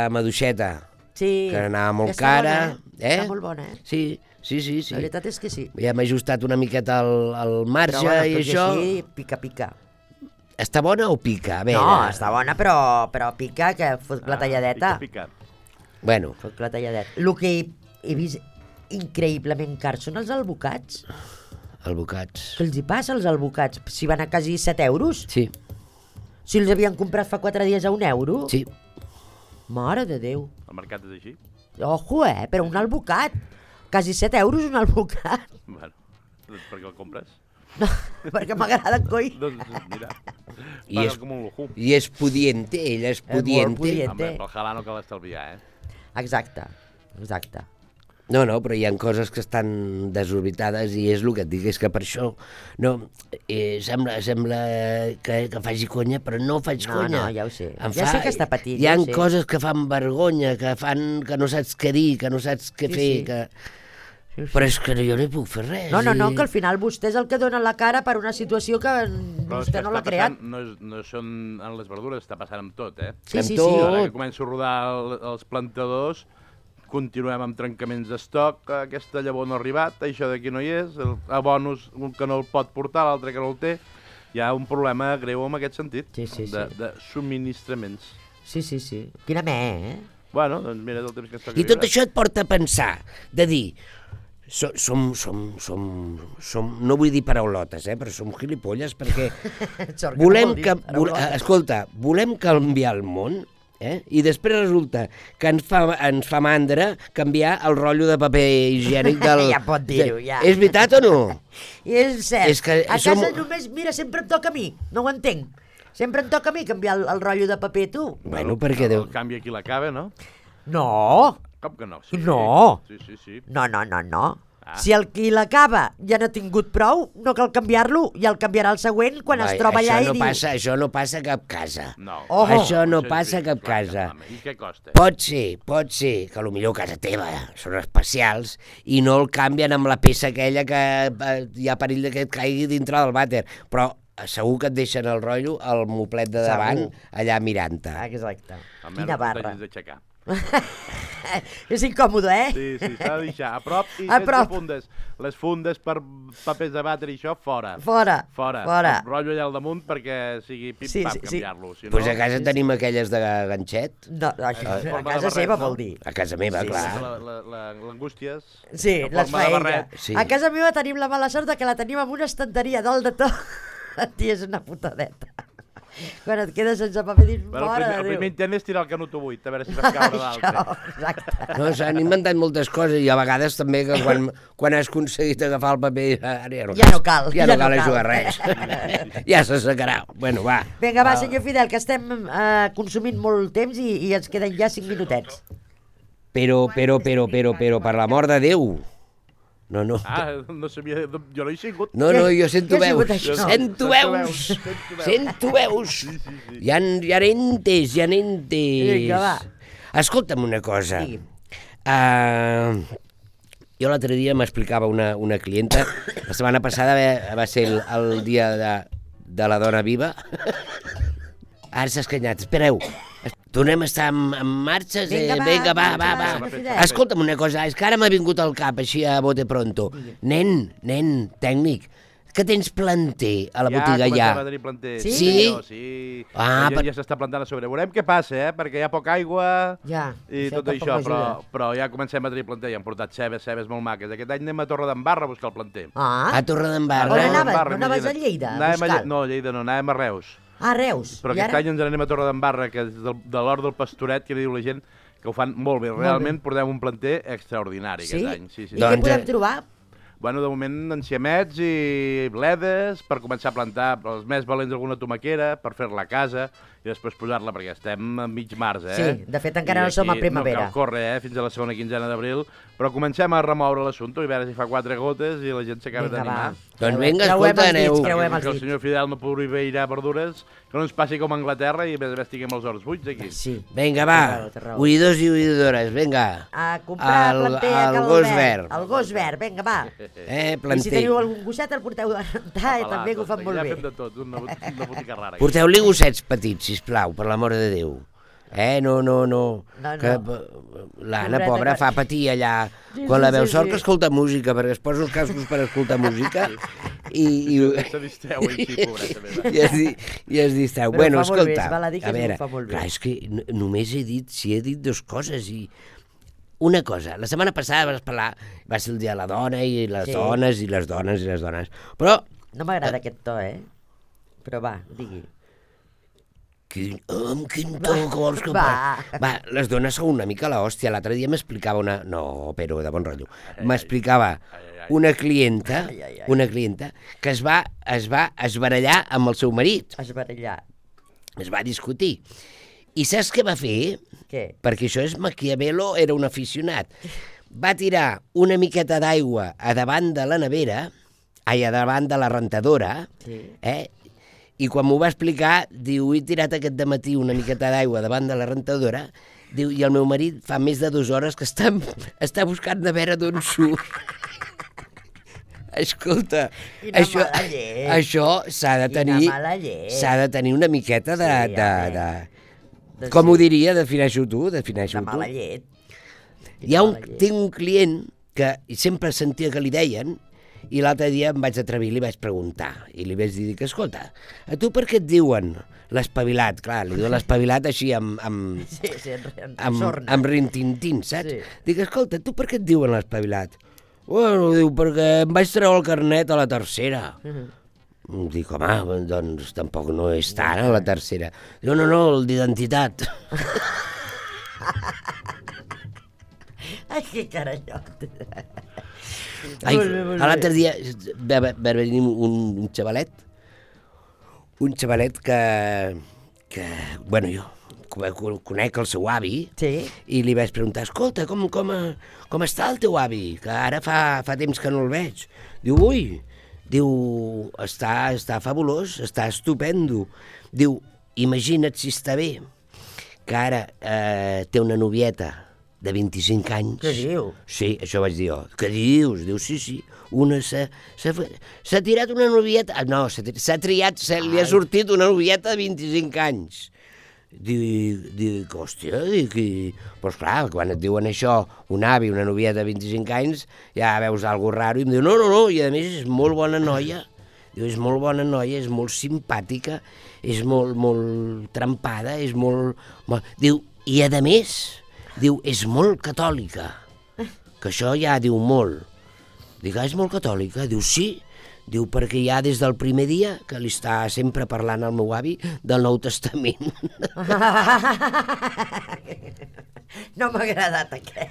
maduixeta. Sí. Que anava molt cara. Està molt bona, Sí. La veritat és que sí. Ja m'he ajustat una miqueta al marge i això... Però així, pica. Està bona o pica? A veure. No, està bona, però pica, que fot la talladeta. Pica. Bueno. Fot la talladeta. El que he increïblement cars són els albocats. Albocats. Què els hi passa als albocats? Si van a quasi 7 euros? Sí. Si els havien comprat fa 4 dies a 1 euro? Sí. Mare de Déu. El mercat és així. Ojo, però un albocat. Quasi 7 euros un albocat. Bueno, doncs per què el compres? No, perquè m'agraden, coi. Doncs mira, I és pudiente, ella és pudiente. Home, pel halà no cal estalviar, Exacte. No, però hi ha coses que estan desorbitades i és el que et dic, és que per això sembla que faci conya, però no faig conya. No, ja ho sé. Ja sé que està patint. Hi ha coses que fan vergonya, que no saps què dir, que no saps què fer, que... Sí. Però és que jo no hi puc fer res. No, que al final vostè és el que dona la cara per una situació que vostè no l'ha creat. No són en les verdures, està passant amb tot, Sí. Ara que començo a rodar els plantadors, continuem amb trencaments d'estoc, aquesta llavor no ha arribat, això d'aquí no hi és, el bonus, un que no el pot portar, l'altre que no el té. Hi ha un problema greu en aquest sentit, de subministraments. Sí. Quina Bueno, doncs mira, el temps que ens toca I tot això et porta a pensar, de dir... Som, no vull dir paraulotes, però som gilipolles perquè volem canviar el món, i després resulta que ens fa mandra canviar el rotllo de paper higiènic del... Ja pot dir-ho, ja. És veritat o no? És cert. A casa només, mira, sempre em toca a mi, no ho entenc. Sempre em toca a mi canviar el rotllo de paper, tu. Bueno, perquè... El canvi aquí l'acaba, no? No. Com que no? No. Sí. No. Si el qui l'acaba ja n'ha tingut prou, no cal canviar-lo, ja el canviarà el següent quan es troba allà i diu... Això no passa a cap casa. No. Això no passa a cap casa. I què costa? Pot ser, que potser casa teva són especials i no el canvien amb la peça aquella que hi ha perill que et caigui dintre del vàter, però segur que et deixen el rotllo al moplet de davant allà mirant-te. Exacte. Quina barra. És incòmode, Sí, s'ha de deixar a prop i sense fundes. Les fundes per papers de vàter i això, fora. Fora. El rotllo allà al damunt perquè sigui pim-pam canviar-lo. Doncs a casa tenim aquelles de ganxet. No, això a casa seva vol dir. A casa meva, clar. L'angústies. Sí, les fa ella. A casa meva tenim la mala sort que la tenim amb una estanteria dalt de tot. Tia, és una putadeta. Quan et quedes sense paper dins, mare de Déu. El primer intent és tirar el canut 8, a veure si vas caure d'altre. Exacte. No, s'han inventat moltes coses i a vegades també que quan has aconseguit agafar el paper ja no cal jugar res. Ja se secarà. Bueno, va. Vinga, va, senyor Fidel, que estem consumint molt temps i ens queden ja 5 minutets. Però, per l'amor de Déu. No. No sabia... Jo no he sigut. No, jo sento veus. Sento veus. Hi ha entes. Vinga, va. Escolta'm una cosa. Jo l'altre dia m'explicava una clienta, la setmana passada va ser el dia de la dona viva. Ara s'ha escanyat. Espereu. Tornem a estar en marxa? Vinga, va. Escolta'm una cosa, és que ara m'ha vingut al cap així a bote pronto. Nen, tècnic, que tens planter a la botiga ja? Ja comencem a tenir planter. Sí? Ja s'està plantant a sobre. Veurem què passa, perquè hi ha poca aigua i tot això, però ja comencem a tenir planter. Ja hem portat cebes molt maques. Aquest any anem a Torredembarra a buscar el planter. A Torredembarra? On anaves a Lleida? No, a Lleida no, anàvem a Reus. Reus. Però aquest any ens n'anem a Torredembarra, que és de l'hort del Pastoret, que li diu la gent que ho fan molt bé. Realment portem un planter extraordinari aquest any. I què podem trobar? Bueno, de moment enciamets i bledes per començar a plantar els més valents alguna tomaquera per fer-la a casa i després posar-la, perquè estem a mig març, Sí, de fet encara no som a primavera. No cal córrer, fins a la segona quinzena d'abril, però comencem a remoure l'assumpte i a veure si fa 4 gotes i la gent s'acaba d'animar. Doncs vinga, escolta, aneu. Que el senyor Fidel no pugui veure verdures, que no ens passi com a Anglaterra i a més estiguem els horts buits aquí. Sí. Vinga, va, oïdors i oïdores, vinga. A comprar planter a Cal Verd. El gos verd, vinga, va. Planter. I si teniu algun gosset el porteu a rentar i també que ho fan molt bé. Ja fem de tot, una botica rara. Porteu-li gossets petits, sisplau, per l'amor de Déu. No. Que l'Anna, pobra, fa patir allà. Quan la veu sort que escolta música, perquè es posa els cascos per escoltar música i se distreu així, pobreta meva. I es distreu. Bueno, escolta, a veure, clar, és que només he dit 2 coses i una cosa, la setmana passada vas parlar, va ser el dia de la dona i les dones i les dones i les dones, però... No m'agrada aquest to, Però va, digui. Amb quin to que vols que... Va, les dones són una mica l'hòstia. L'altre dia m'explicava una... No, però de bon rotllo. M'explicava una clienta que es va esbarallar amb el seu marit. Esbarallar. Es va discutir. I saps què va fer? Què? Perquè això és Maquiavelo, era un aficionat. Va tirar una miqueta d'aigua a davant de la nevera, a davant de la rentadora, i quan m'ho va explicar, diu, he tirat aquest dematí una miqueta d'aigua davant de la rentadora, diu, i el meu marit fa més de 2 hores que està buscant de veure d'on surt. Escolta, això s'ha de tenir una miqueta de com ho diria? Defineixo tu. De mala llet. Tinc un client que sempre sentia que li deien, i l'altre dia em vaig atrevir i li vaig preguntar, i li vaig dir que, escolta, a tu per què et diuen l'espavilat? Clar, li diuen l'espavilat així amb rintintín, saps? Dic, escolta, tu per què et diuen l'espavilat? Bueno, diu, perquè em vaig treure el carnet a la tercera. Dic, home, doncs tampoc no és tant a la tercera. Diu, no, el d'identitat. Ai, que carallot. L'altre dia va venir un xavalet que bueno, jo conec el seu avi i li vaig preguntar, escolta, com està el teu avi? Que ara fa temps que no el veig. Diu, està fabulós, està estupendo. Diu, imagina't si està bé, que ara té una novieta de 25 anys. Què diu? Sí, això vaig dir jo. Què dius? Diu, sí. S'ha tirat una novieta... No, s'ha triat, li ha sortit una novieta de 25 anys. Dic, hòstia, doncs clar, quan et diuen això, un avi, una novieta de 25 anys, ja veus alguna raro, i em diu, no, i a més és molt bona noia. Diu, és molt bona noia, és molt simpàtica, és molt trempada, és molt... Diu, i a més... Diu, és molt catòlica, que això ja diu molt. Dic, és molt catòlica? Diu, sí. Diu, perquè ja des del primer dia que li està sempre parlant al meu avi del Nou Testament. No m'ha agradat aquest.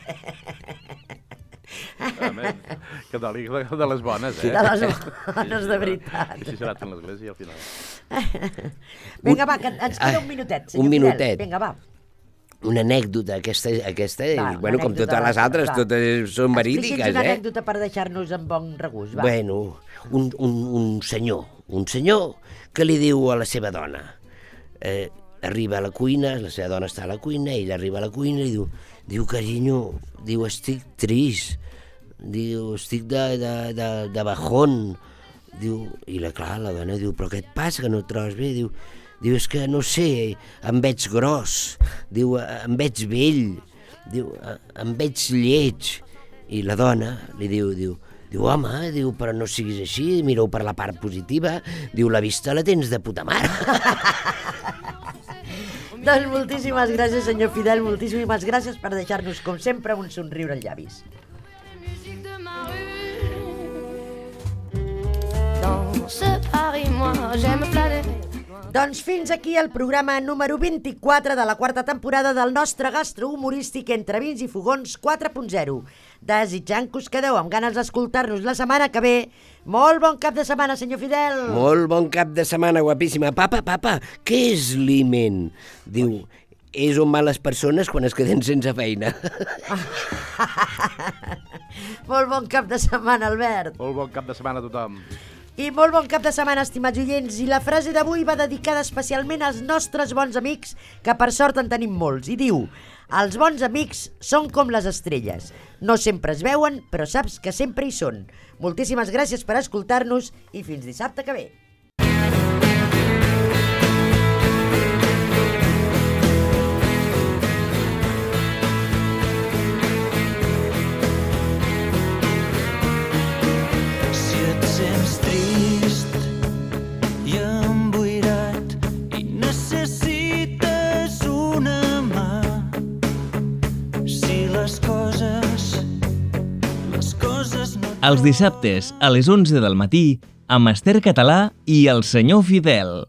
Catòlic de les bones, De les bones, de veritat. I si serà en l'església al final. Vinga, va, que ens queda un minutet, senyor Fidel. Vinga, va. Una anècdota, aquesta bueno, com totes les altres, totes són verídiques, Expliqui'ns una anècdota per deixar-nos amb bon regust, va. Bueno, un senyor que li diu a la seva dona, arriba a la cuina, la seva dona està a la cuina, ell arriba a la cuina i diu, carinyo, diu, estic trist, diu, estic de bajón, diu, i clar, la dona diu, però què et passa, que no et trobes bé? Diu, és que no sé, em veig gros, diu, em veig vell, diu, em veig lleig. I la dona li diu, home, diu, però no siguis així, mira-ho per la part positiva, diu, la vista la tens de puta mare. Doncs moltíssimes gràcies, senyor Fidel, moltíssimes gràcies per deixar-nos, com sempre, un somriure als llavis. Doncs fins aquí el programa número 24 de la 4ª temporada del nostre gastrohumorístic Entre Vins i Fogons 4.0. Desitjant que us quedeu amb ganes d'escoltar-nos la setmana que ve. Molt bon cap de setmana, senyor Fidel. Molt bon cap de setmana, guapíssima. Papa, què és l'IMEN? Diu, és on van les persones quan es queden sense feina. Molt bon cap de setmana, Albert. Molt bon cap de setmana a tothom. I molt bon cap de setmana, estimats oients. I la frase d'avui va dedicada especialment als nostres bons amics, que per sort en tenim molts. I diu, els bons amics són com les estrelles. No sempre es veuen, però saps que sempre hi són. Moltíssimes gràcies per escoltar-nos i fins dissabte que ve. Necessites una mà si les coses Els dissabtes a les 11 del matí amb Esther Català i el senyor Fidel.